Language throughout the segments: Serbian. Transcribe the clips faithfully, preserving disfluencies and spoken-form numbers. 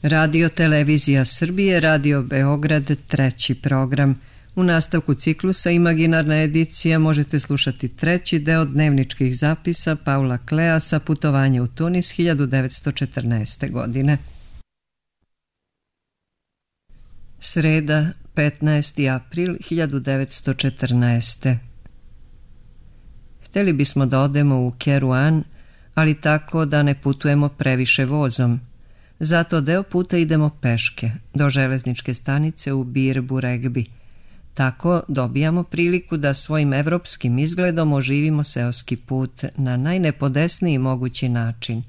Radio Televizija Srbije, Radio Beograd, treći program. U nastavku ciklusa Imaginarna edicija možete slušati treći deo dnevničkih zapisa Paula Kleasa Putovanje u Tunis hiljadu devetsto četrnaeste. godine. Sreda, petnaesti april hiljadu devetsto četrnaeste. Hteli bismo da odemo u Keruan, ali tako da ne putujemo previše vozom. Zato deo puta idemo peške, do železničke stanice u Bir Buregbi. Tako dobijamo priliku da svojim evropskim izgledom oživimo seoski put na najnepodesniji mogući način.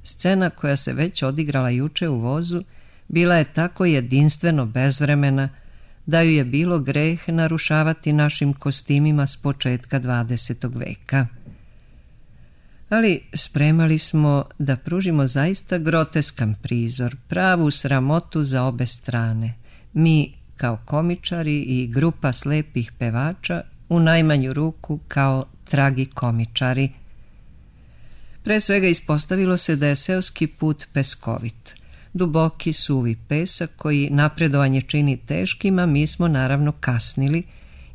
Scena koja se već odigrala juče u vozu bila je tako jedinstveno bezvremena da ju je bilo greh narušavati našim kostimima s početka dvadesetog veka. Ali spremali smo da pružimo zaista groteskan prizor, pravu sramotu za obe strane. Mi kao komičari i grupa slepih pevača, u najmanju ruku kao tragikomičari. Pre svega ispostavilo se da je seoski put peskovit. Duboki, suvi pesak koji napredovanje čini teškim, a mi smo naravno kasnili,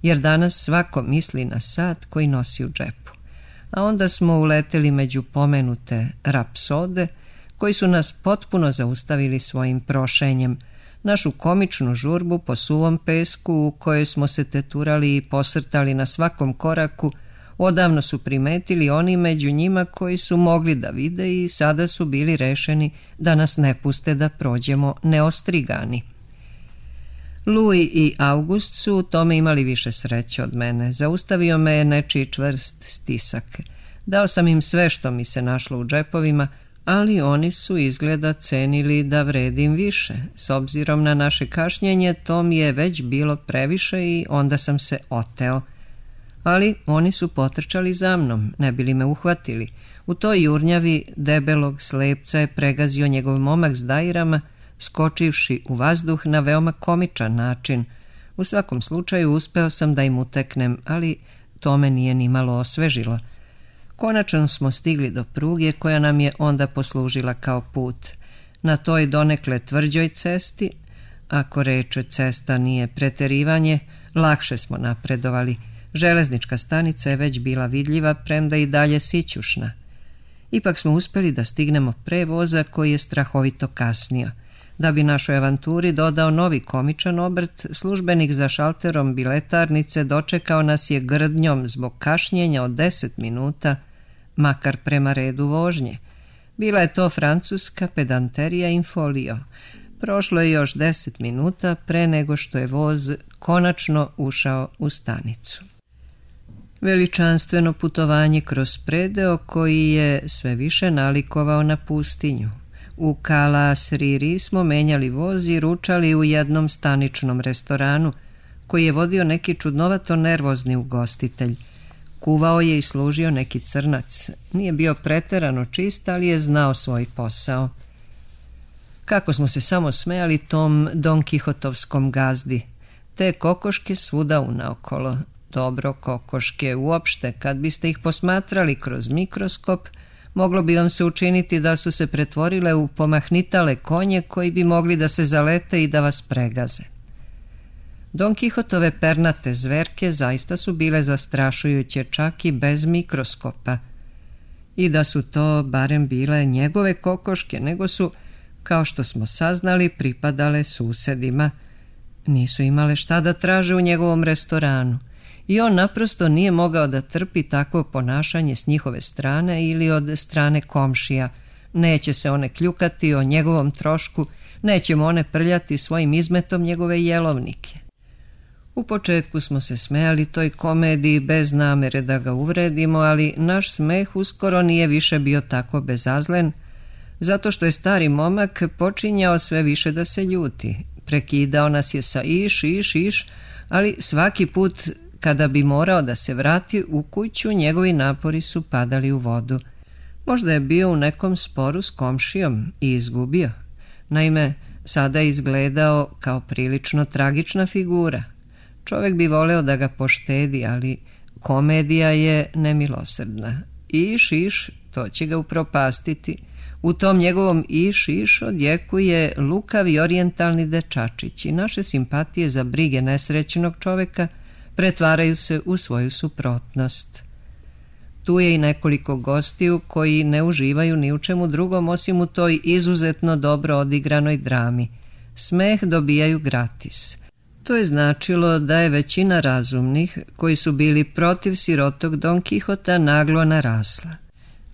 jer danas svako misli na sat koji nosi u džepu. A onda smo uleteli među pomenute rapsode, koji su nas potpuno zaustavili svojim prošenjem, našu komičnu žurbu po suvom pesku u kojoj smo se teturali i posrtali na svakom koraku. Odavno su primetili oni među njima koji su mogli da vide i sada su bili rešeni da nas ne puste da prođemo neostrigani. Louis i August su u tome imali više sreće od mene. Zaustavio me je nečiji čvrst stisak. Dao sam im sve što mi se našlo u džepovima, ali oni su izgleda cenili da vredim više. S obzirom na naše kašnjenje, to mi je već bilo previše i onda sam se oteo. Ali oni su potrčali za mnom, ne bili me uhvatili. U toj jurnjavi debelog slepca je pregazio njegov momak s dajrama, skočivši u vazduh na veoma komičan način. U svakom slučaju uspeo sam da im uteknem, ali to me nije ni malo osvežilo. Konačno smo stigli do pruge koja nam je onda poslužila kao put. Na toj donekle tvrđoj cesti, ako reč cesta nije preterivanje, lakše smo napredovali. Železnička stanica je već bila vidljiva, premda i dalje sićušna. Ipak smo uspeli da stignemo pre voza koji je strahovito kasnio. Da bi našoj avanturi dodao novi komičan obrt, službenik za šalterom biletarnice dočekao nas je grdnjom zbog kašnjenja od deset minuta, makar prema redu vožnje. Bila je to francuska pedanterija in folio. Prošlo je još deset minuta pre nego što je voz konačno ušao u stanicu. Veličanstveno putovanje kroz predeo koji je sve više nalikovao na pustinju. U Kala Sriri smo menjali voz i ručali u jednom staničnom restoranu koji je vodio neki čudnovato nervozni ugostitelj. Kuvao je i služio neki crnac. Nije bio preterano čist, ali je znao svoj posao. Kako smo se samo smejali tom Don Kihotovskom gazdi. Te kokoške svuda unaokolo. Dobro, kokoške uopšte, kad biste ih posmatrali kroz mikroskop, moglo bi vam se učiniti da su se pretvorile u pomahnitale konje koji bi mogli da se zalete i da vas pregaze. Don Kihotove pernate zverke zaista su bile zastrašujuće čak i bez mikroskopa. I da su to barem bile njegove kokoške, nego su, kao što smo saznali, pripadale susedima. Nisu imale šta da traže u njegovom restoranu. I on naprosto nije mogao da trpi takvo ponašanje s njihove strane ili od strane komšija. Neće se one kljukati o njegovom trošku, nećemo one prljati svojim izmetom njegove jelovnike. U početku smo se smejali toj komediji bez namere da ga uvredimo, ali naš smeh uskoro nije više bio tako bezazlen, zato što je stari momak počinjao sve više da se ljuti. Prekidao nas je sa iš, iš, iš, ali svaki put kada bi morao da se vrati u kuću, njegovi napori su padali u vodu. Možda je bio u nekom sporu s komšijom i izgubio. Naime, sada je izgledao kao prilično tragična figura. Čovjek bi voleo da ga poštedi, ali komedija je nemilosrdna. Iš, iš, to će ga upropastiti. U tom njegovom iš iš odjekuje lukavi orijentalni dečačić i naše simpatije za brige nesrećnog čoveka pretvaraju se u svoju suprotnost. Tu je i nekoliko gostiju koji ne uživaju ni u čemu drugom osim u toj izuzetno dobro odigranoj drami. Smeh dobijaju gratis. To je značilo da je većina razumnih, koji su bili protiv sirotog Don Kihota, naglo narasla.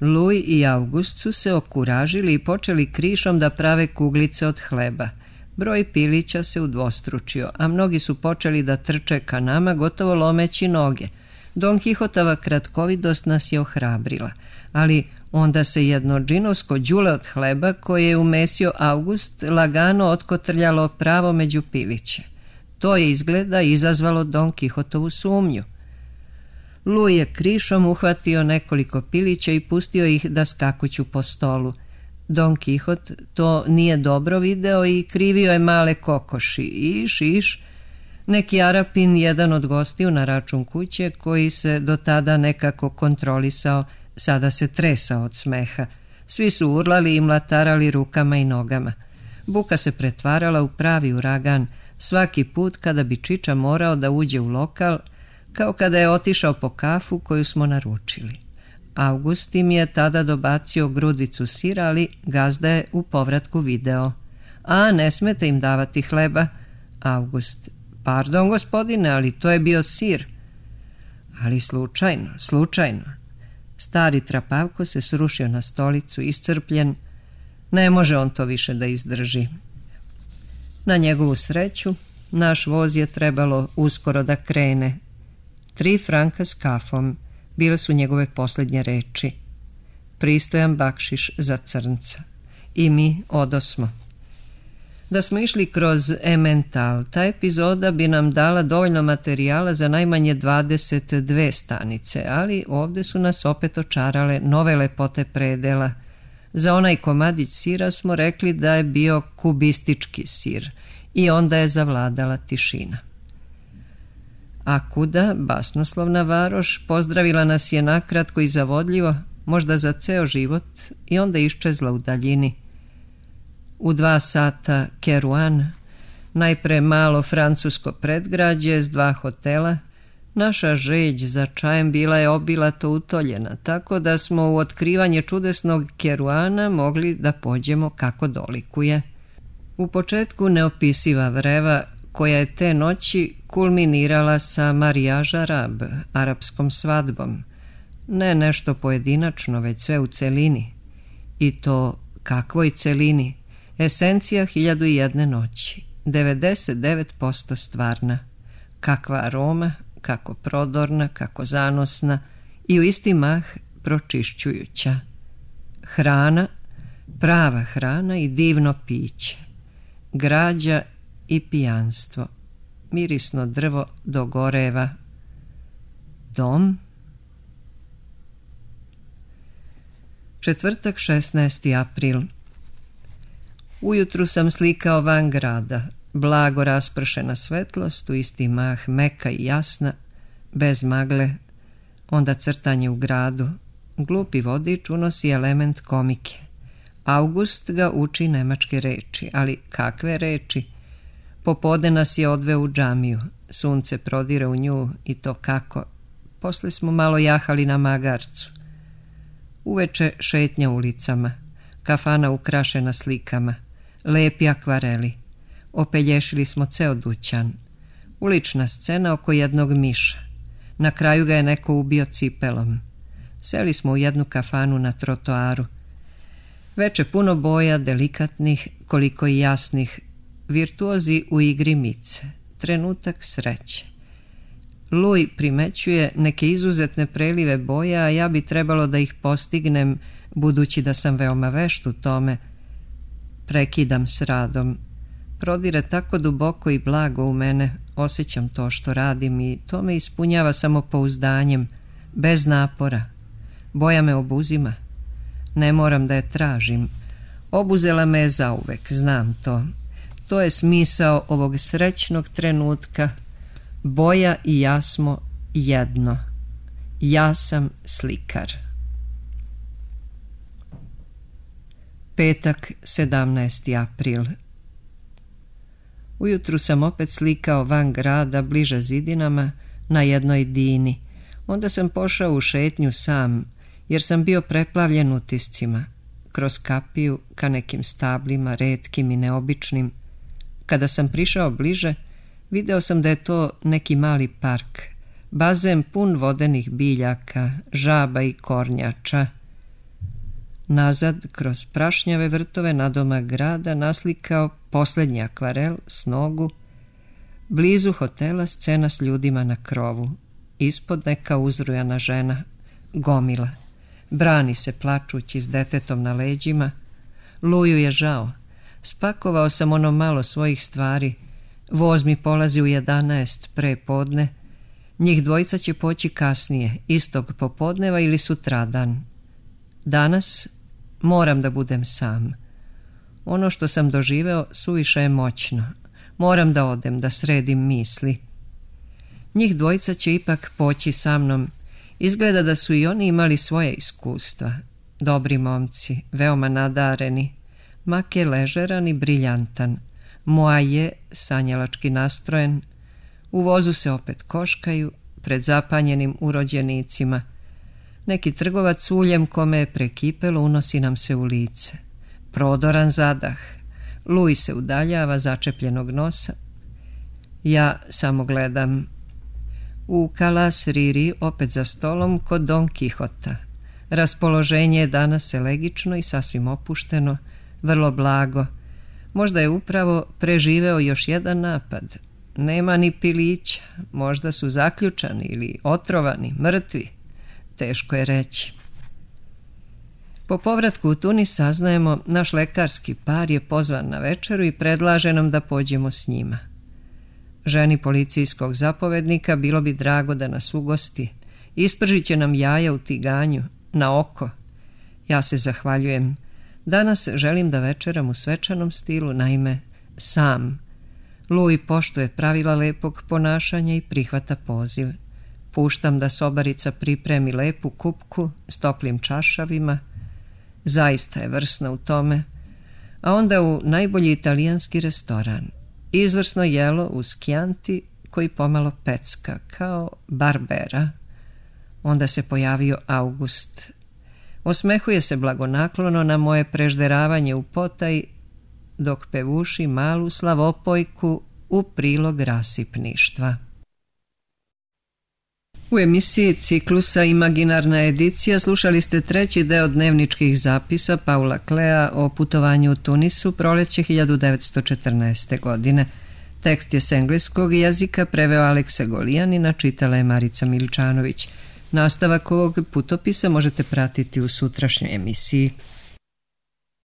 Louis i August su se okuražili i počeli krišom da prave kuglice od hleba. Broj pilića se udvostručio, a mnogi su počeli da trče ka nama, gotovo lomeći noge. Don Kihotova kratkovidost nas je ohrabrila, ali onda se jedno džinovsko đule od hleba koje je umesio August lagano otkotrljalo pravo među piliće. To je izgleda izazvalo Don Kihotovu sumnju. Louis je krišom uhvatio nekoliko pilića i pustio ih da skakuću po stolu. Don Kihot to nije dobro video i krivio je male kokoši. Iš, iš. Neki Arapin, jedan od gostiju na račun kuće, koji se do tada nekako kontrolisao, sada se tresao od smeha. Svi su urlali i mlatarali rukama i nogama. Buka se pretvarala u pravi uragan svaki put kada bi Čiča morao da uđe u lokal, kao kada je otišao po kafu koju smo naručili. August im je tada dobacio grudvicu sira, ali gazda je u povratku video. A, ne smete im davati hleba. August: pardon, gospodine, ali to je bio sir. Ali slučajno, slučajno. Stari trapavko se srušio na stolicu, iscrpljen. Ne može on to više da izdrži. Na njegovu sreću, naš voz je trebalo uskoro da krene. Tri franka s kafom bile su njegove posljednje reči. Pristojan bakšiš za crnca. I mi odosmo. Da smo išli kroz Emmental, ta epizoda bi nam dala dovoljno materijala za najmanje dvadeset dve stanice, ali ovdje su nas opet očarale nove lepote predela. Za onaj komadić sira smo rekli da je bio kubistički sir i onda je zavladala tišina. A kuda, basnoslovna varoš, pozdravila nas je nakratko i zavodljivo, možda za ceo život, i onda iščezla u daljini. U dva sata Keruan, najpre malo francusko predgrađe s dva hotela. Naša žeđ za čajem bila je obilato utoljena, tako da smo u otkrivanje čudesnog Keruana mogli da pođemo kako dolikuje. U početku neopisiva vreva, koja je te noći kulminirala sa mariage arab, arapskom svadbom. Ne nešto pojedinačno, već sve u celini. I to kakvoj celini? Esencija hiljadu i jedne noći, devedeset devet posto stvarna. Kakva aroma, kako prodorna, kako zanosna i u isti mah pročišćujuća. Hrana, prava hrana i divno piće. Građa i pijanstvo. Mirisno drvo dogoreva. Dom. Četvrtak, šesnaesti april. Ujutru sam slikao van grada. Blago raspršena svetlost, u isti mah meka i jasna, bez magle. Onda crtanje u gradu. Glupi vodič unosi element komike. August ga uči nemačke reči, ali kakve reči? Popodne nas je odveo u džamiju. Sunce prodire u nju i to kako. Posle smo malo jahali na magarcu. Uveče šetnja ulicama. Kafana ukrašena slikama. Lepi akvareli. Opelješili smo ceo dućan. Ulična scena oko jednog miša. Na kraju ga je neko ubio cipelom. Seli smo u jednu kafanu na trotoaru. Veče puno boja, delikatnih, koliko i jasnih. Virtuozi u igri mice. Trenutak sreće. Louis primećuje neke izuzetne prelive boja, a ja bi trebalo da ih postignem, budući da sam veoma vešt u tome. Prekidam s radom. Prodire tako duboko i blago u mene, osjećam to što radim i to me ispunjava samopouzdanjem, bez napora. Boja me obuzima. Ne moram da je tražim. Obuzela me je zauvek, znam to. To je smisao ovog srećnog trenutka. Boja i ja smo jedno. Ja sam slikar. Petak, sedamnaesti april. Ujutru sam opet slikao van grada, bliže zidinama, na jednoj dini. Onda sam pošao u šetnju sam, jer sam bio preplavljen utiscima. Kroz kapiju, ka nekim stablima, retkim i neobičnim. Kada sam prišao bliže, video sam da je to neki mali park. Bazen pun vodenih biljaka, žaba i kornjača. Nazad, kroz prašnjave vrtove nadomak grada, naslikao posljednji akvarel s nogu. Blizu hotela scena s ljudima na krovu. Ispod neka uzrujana žena, gomila. Brani se plačući s detetom na leđima. Luju je žao. Spakovao sam ono malo svojih stvari. Voz mi polazi u jedanaest pre podne. Njih dvojica će poći kasnije, istog popodneva ili sutradan. Danas moram da budem sam. Ono što sam doživeo suviše je moćno. Moram da odem, da sredim misli. Njih dvojica će ipak poći sa mnom. Izgleda da su i oni imali svoje iskustva. Dobri momci, veoma nadareni. Mak je ležeran i briljantan. Moa je sanjalački nastrojen. U vozu se opet koškaju pred zapanjenim urođenicima. Neki trgovac uljem kome je prekipelo unosi nam se u lice. Prodoran zadah. Luj se udaljava začepljenog nosa. Ja samo gledam. U Kalas Riri opet za stolom kod Don Kihota. Raspoloženje je danas elegično i sasvim opušteno, vrlo blago. Možda je upravo preživeo još jedan napad. Nema ni pilića, možda su zaključani ili otrovani, mrtvi. Teško je reći. Po povratku u Tunis saznajemo, naš lekarski par je pozvan na večeru i predlaže nam da pođemo s njima. Ženi policijskog zapovednika bilo bi drago da nas ugosti. Ispržit će nam jaja u tiganju, na oko. Ja se zahvaljujem. Danas želim da večeram u svečanom stilu, naime, sam. Luj poštuje pravila lepog ponašanja i prihvata poziv. Puštam da sobarica pripremi lepu kupku s toplim čašavima. Zaista je vrsna u tome. A onda u najbolji italijanski restoran. Izvrsno jelo uz kjanti koji pomalo pecka, kao Barbera. Onda se pojavio August. Osmehuje se blagonaklono na moje prežderavanje u potaj, dok pevuši malu slavopojku u prilog rasipništva. U emisiji ciklusa Imaginarna edicija slušali ste treći deo dnevničkih zapisa Paula Klea o putovanju u Tunisu proleće hiljadu devetsto četrnaeste. godine. Tekst je s engleskog jezika preveo Aleksa Golijanina, čitala je Marica Miličanović. Nastavak ovog putopisa možete pratiti u sutrašnjoj emisiji.